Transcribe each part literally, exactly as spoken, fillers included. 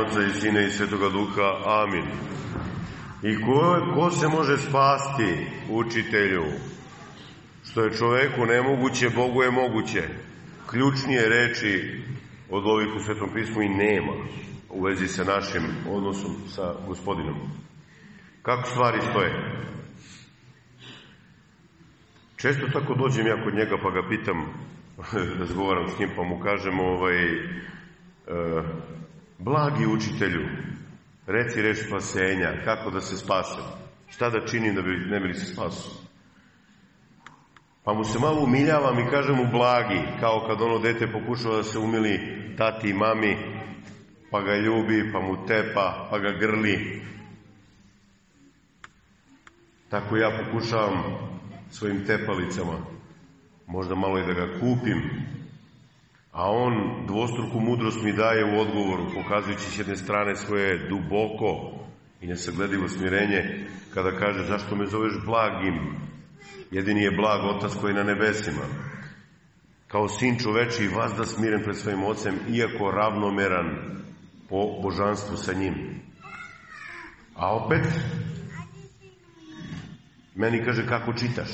Oca i Sina i Svetoga Duha. Amin. I ko, ko se može spasti, učitelju? Što je čoveku nemoguće, Bogu je moguće. Ključnije reči od ovih u Svetom pismu i nema u vezi sa našim odnosom sa Gospodinom. Kako stvari stoje? Često tako dođem ja kod njega pa ga pitam, razgovaram s njim pa mu kažem ovaj, e, blagi učitelju, reci reč spasenja, kako da se spasem, šta da činim da bi ne bili se spasu. Pa mu se malo umiljavam i kažem mu blagi, kao kad ono dete pokušava da se umili tati i mami, pa ga ljubi, pa mu tepa, pa ga grli. Tako ja pokušavam svojim tepalicama, možda malo i da ga kupim, a on dvostruku mudrost mi daje u odgovoru, pokazujući s jedne strane svoje duboko i nesagledivo smirenje, kada kaže zašto me zoveš blagim, jedini je blag Otac koji je na nebesima. Kao sin čoveči vazda smiren pred svojim ocem, iako ravnomeran po božanstvu sa njim. A opet meni kaže kako čitaš,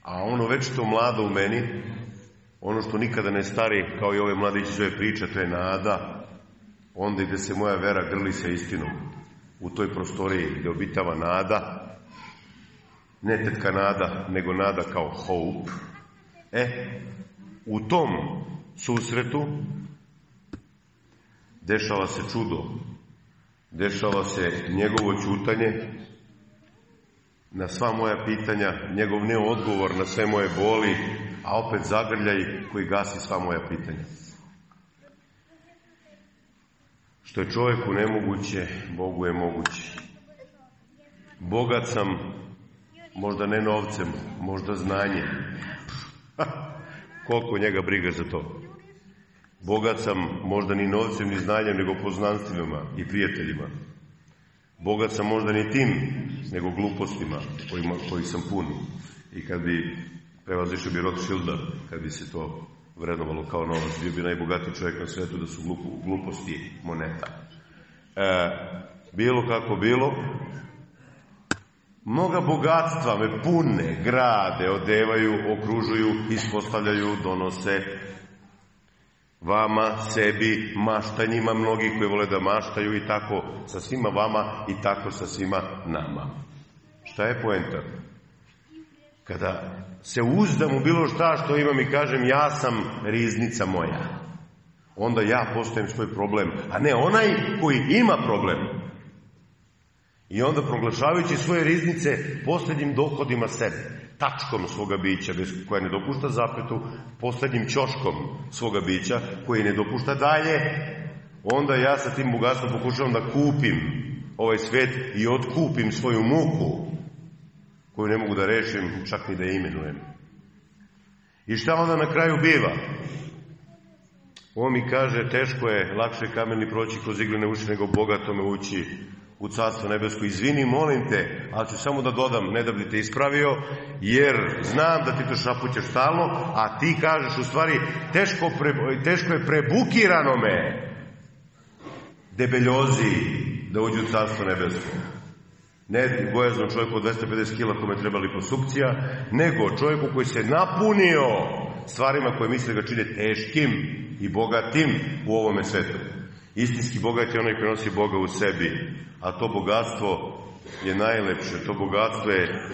a ono već to mlado u meni, ono što nikada ne stari, kao i ove mladići zove priča, to je nada, onda gde se moja vera grli sa istinom, u toj prostoriji gde obitava nada, ne tetka nada, nego nada kao hope. E, u tom susretu dešava se čudo, dešava se njegovo ćutanje na sva moja pitanja, njegov neodgovor na sve moje boli, a opet zagrljaj koji gasi sva moja pitanja. Što je čovjeku nemoguće, Bogu je moguće. Bogat sam, možda ne novcem, možda znanjem. Koliko njega briga za to. Bogat sam možda ni novcem, ni znanjem, nego poznanstvima i prijateljima. Bogat sam možda ni tim, nego glupostima kojima, koji sam pun. I kad bi prevazišao bi Rothschilda, kad bi se to vrednovalo kao novac, bio bi najbogatiji čovjek na svetu, da su glupo, gluposti moneta. E, bilo kako bilo, mnoga bogatstva me pune, grade, odevaju, okružuju, ispostavljaju, donose vama, sebi, maštanjima, mnogi koji vole da maštaju i tako sa svima vama i tako sa svima nama. Šta je poenta? Kada se uzdam u bilo šta što imam i kažem ja sam riznica moja, onda ja postajem svoj problem, a ne onaj koji ima problem. I onda proglašavajući svoje riznice posljednjim dohodima sebe, tačkom svoga bića koja ne dopušta zapetu, posljednjim ćoškom svoga bića koji ne dopušta dalje, onda ja sa tim bogatstvom pokušavam da kupim ovaj svet i otkupim svoju muku koju ne mogu da rešim, čak ni da je imenujem. I šta onda na kraju biva? On mi kaže, teško je, lakše je kameni proći kroz iglene uši nego bogatome ući u Carstvo nebesko. Izvini, molim te, ali ću samo da dodam, ne da bi te ispravio, jer znam da ti to šapućeš stalno, a ti kažeš u stvari, teško, pre, teško je prebukirano me debeljozi da uđu u Carstvo nebesko. Ne gojaznom čovjeku od dvesta pedeset kila kome treba liposukcija, nego čovjeku koji se napunio stvarima koje misle ga čine teškim i bogatim u ovome svetu. Istinski bogat je onaj koji nosi Boga u sebi, a to bogatstvo je najlepše, to bogatstvo je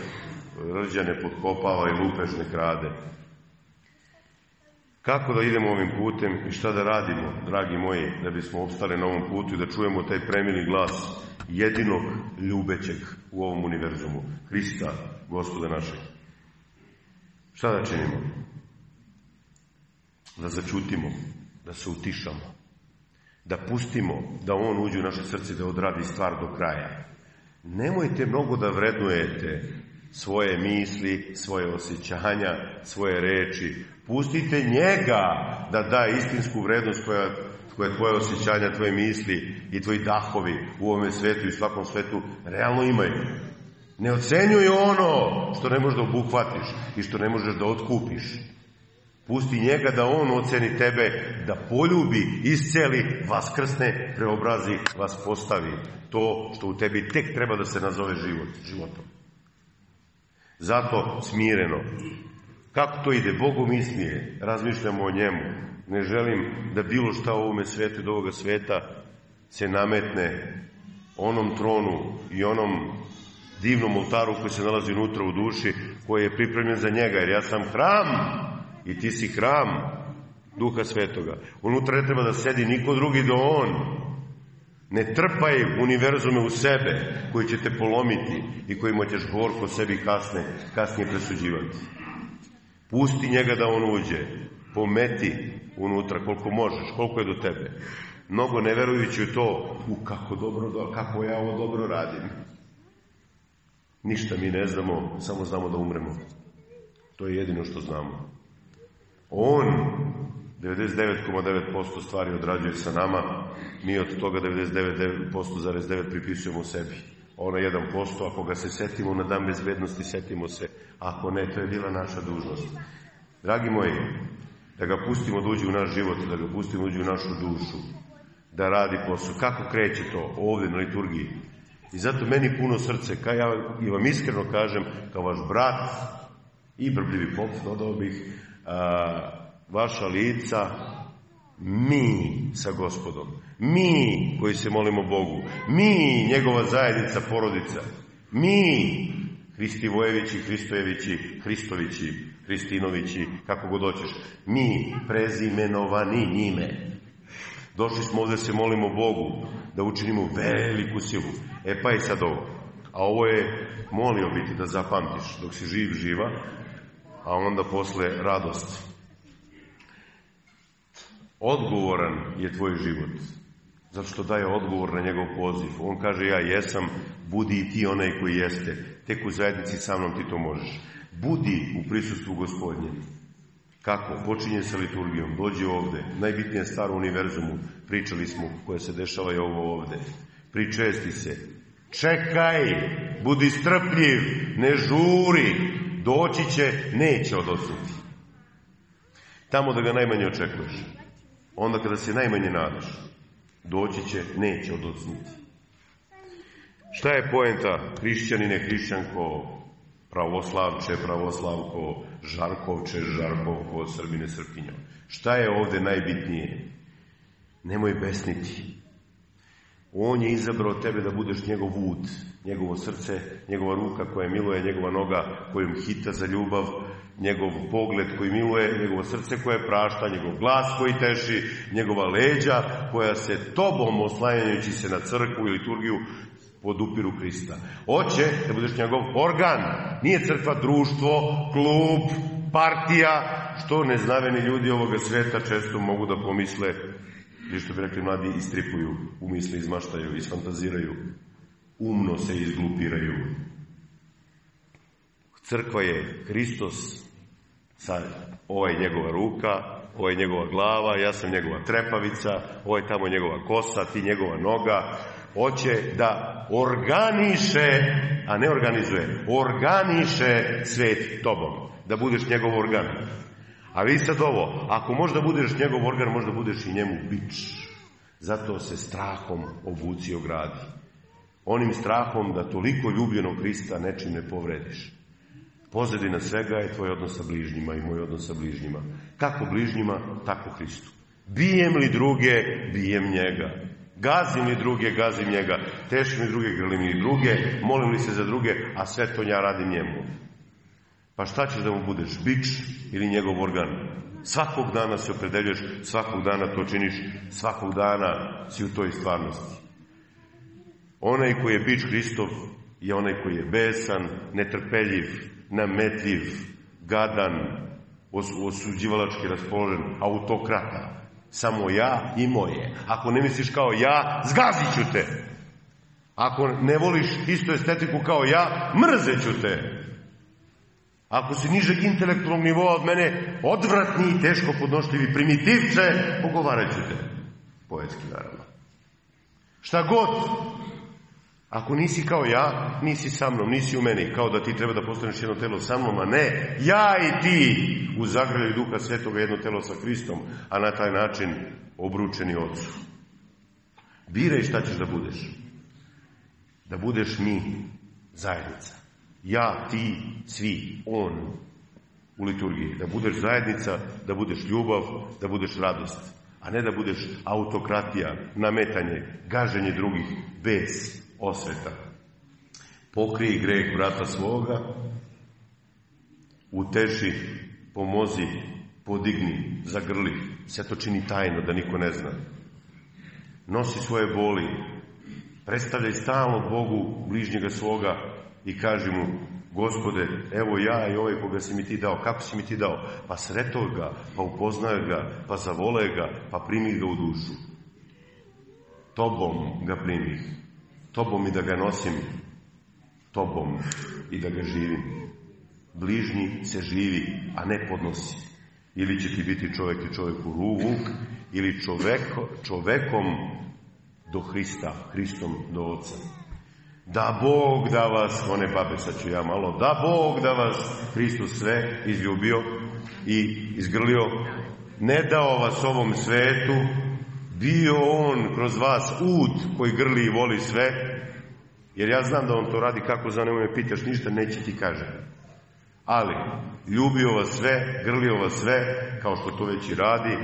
rđane potkopava i lupež ne krade. Kako da idemo ovim putem i šta da radimo, dragi moji, da bismo opstali na ovom putu i da čujemo taj premili glas jedinog ljubećeg u ovom univerzumu, Hrista, Gospoda našeg. Šta da činimo? Da začutimo, da se utišamo, da pustimo da on uđe u naše srce, da odradi stvar do kraja. Nemojte mnogo da vrednujete svoje misli, svoje osjećanja, svoje reči. Pustite njega da da istinsku vrednost koja, koja tvoje osjećanja, tvoje misli i tvoji dahovi u ovome svetu i svakom svetu realno imaju. Ne ocenjuj ono što ne možeš da obuhvatiš i što ne možeš da otkupiš. Pusti njega da on oceni tebe, da poljubi, isceli, vaskrsne, preobrazi, vas postavi. To što u tebi tek treba da se nazove život, životom. Zato smireno. Kako to ide? Bogu mi smije. Razmišljamo o njemu. Ne želim da bilo šta u ovome svetu, do ovoga sveta se nametne onom tronu i onom divnom oltaru koji se nalazi unutra u duši, koji je pripremljen za njega, jer ja sam hram i ti si hram Duha Svetoga. Unutra ne treba da sedi niko drugi do on. Ne trpaj univerzume u sebe koji će te polomiti i kojima ćeš gorko sebi kasne, kasnije presuđivati. Pusti njega da on uđe, pometi unutra koliko možeš, koliko je do tebe. Mnogo ne verujući u to, u kako, dobro, kako ja ovo dobro radim. Ništa mi ne znamo, samo znamo da umremo. To je jedino što znamo. On devedeset devet zarez devet posto stvari odrađuje sa nama, mi od toga devedeset devet zarez devet posto pripisujemo sebi. Ono jedan posto, ako ga se setimo na dan bezbednosti, setimo se. Ako ne, to je bila naša dužnost. Dragi moji, da ga pustimo da uđe u naš život, da ga pustimo da uđe u našu dušu, da radi posao. Kako kreće to ovdje na liturgiji? I zato meni puno srce, kao ja i vam iskreno kažem, kao vaš brat i brbljivi pop, dodao bih, a, vaša lica, mi sa Gospodom, mi koji se molimo Bogu, mi, njegova zajednica, porodica, mi, Hristivojevići, Hristojevići, Hristovići, Hristinovići, kako god hoćeš, mi, prezimenovani njime. Došli smo ovdje se molimo Bogu da učinimo veliku silu. E pa i sad ovo. A ovo je molio biti da zapamtiš dok si živ, živa, a onda posle radost. Odgovoran je tvoj život. Zato što daje odgovor na njegov poziv. On kaže ja jesam, budi i ti onaj koji jeste. Tek u zajednici sa mnom ti to možeš. Budi u prisustvu Gospodnje. Kako? Počinje sa liturgijom. Dođi ovde. Najbitnija stvar u univerzumu. Pričali smo koje se dešava i ovo ovde. Pričesti se. Čekaj. Budi strpljiv. Ne žuri. Doći će. Neće odosnuti. Tamo da ga najmanje očekuješ. Onda kada se najmanje nadaš. Doći će. Neće odosnuti. Šta je poenta? Hrišćanine, hrišćanko, pravoslavče, pravoslavko, žarkovče, žarkovko, srbine, srpkinjo. Šta je ovdje najbitnije? Nemoj besniti. On je izabrao tebe da budeš njegov vud, njegovo srce, njegova ruka koja miluje, njegova noga kojom hita za ljubav, njegov pogled koji miluje, njegovo srce koje prašta, njegov glas koji teši, njegova leđa koja se tobom, oslanjajući se na crkvu i liturgiju, podupiru Krista. Hoće da budeš njegov organ. Nije crkva društvo, klub, partija, što neznaveni ljudi ovoga sveta često mogu da pomisle, ili što bi rekli mladi, istripuju, umisle, izmaštaju, isfantaziraju, umno se izglupiraju. Crkva je Hristos, sad, ovo je njegova ruka, ovo je njegova glava, ja sam njegova trepavica, ovo je tamo njegova kosa, ti njegova noga. Hoće da organiše, a ne organizuje, organiše svet tobom. Da budeš njegov organ. A vi sad ovo, ako možda budeš njegov organ, možda budeš i njemu bič. Zato se strahom obuci i ogradi. Onim strahom da toliko ljubljenog Hrista nečim ne povrediš. Pozadina svega je tvoj odnos sa bližnjima i moj odnos sa bližnjima. Kako bližnjima, tako Hristu. Bijem li druge, bijem njega. Gazim li druge, gazim njega. Tešim li druge, grlim li druge. Molim li se za druge, a sve to ja radim njemu. Pa šta ćeš da mu budeš? Bič ili njegov organ? Svakog dana se opredeljuješ, svakog dana to činiš, svakog dana si u toj stvarnosti. Onaj koji je bič Hristov je onaj koji je besan, netrpeljiv, nametljiv, gadan, osuđivalački raspoložen, autokrata. Samo ja i moje. Ako ne misliš kao ja, zgazit ću te. Ako ne voliš istu estetiku kao ja, mrzet ću te. Ako si nižeg intelektualnog nivoa od mene, odvratni i teško podnošljivi primitivce, pogovarat ću te. Poetski, naravno. Šta god. Ako nisi kao ja, nisi sa mnom, nisi u meni, kao da ti treba da postaneš jedno telo sa mnom, a ne, ja i ti u zagrljaju Duha Svetoga jedno telo sa Hristom, a na taj način obručeni Otcu. Biraj šta ćeš da budeš. Da budeš mi, zajednica. Ja, ti, svi, on u liturgiji. Da budeš zajednica, da budeš ljubav, da budeš radost. A ne da budeš autokratija, nametanje, gaženje drugih bez osveta. Pokrij greh brata svoga, uteši, pomozi, podigni, zagrli. Sve to čini tajno, da niko ne zna. Nosi svoje boli, predstavljaj stalno Bogu bližnjega svoga i kaži mu: Gospode, evo ja i ovaj koga si mi ti dao. Kako si mi ti dao? Pa sretao ga, pa upoznao ga, pa zavole ga, pa primi ga u dušu. Tobom ga primih, tobom i da ga nosim, tobom i da ga živim. Bližnji se živi, a ne podnosi. Ili će ti biti čovjek i čovjeku ruvuk, ili čoveko, čovekom do Hrista, Hristom do Oca. Da Bog da vas, one babe, sad ću ja malo, da Bog da vas Hristos sve izljubio i izgrlio, ne dao vas ovom svetu, bio on kroz vas ud koji grli i voli sve, jer ja znam da on to radi, kako za nemoj me pitaš ništa, neće ti kažem. Ali, ljubio vas sve, grlio vas sve, kao što to već i radi,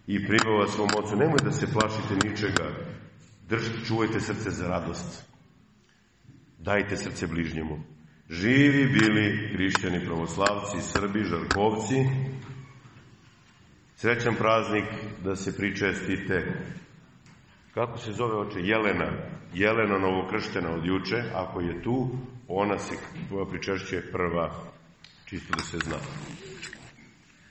i primao vas svom Ocu. Nemoj da se plašite ničega, držite, čuvajte srce za radost. Dajte srce bližnjemu. Živi bili hrišćani, pravoslavci, Srbi, Žarkovci. Srećan praznik, da se pričestite. Kako se zove oče? Jelena. Jelena novokrštena od juče. Ako je tu, ona se pričešćuje prva. Čisto da se zna.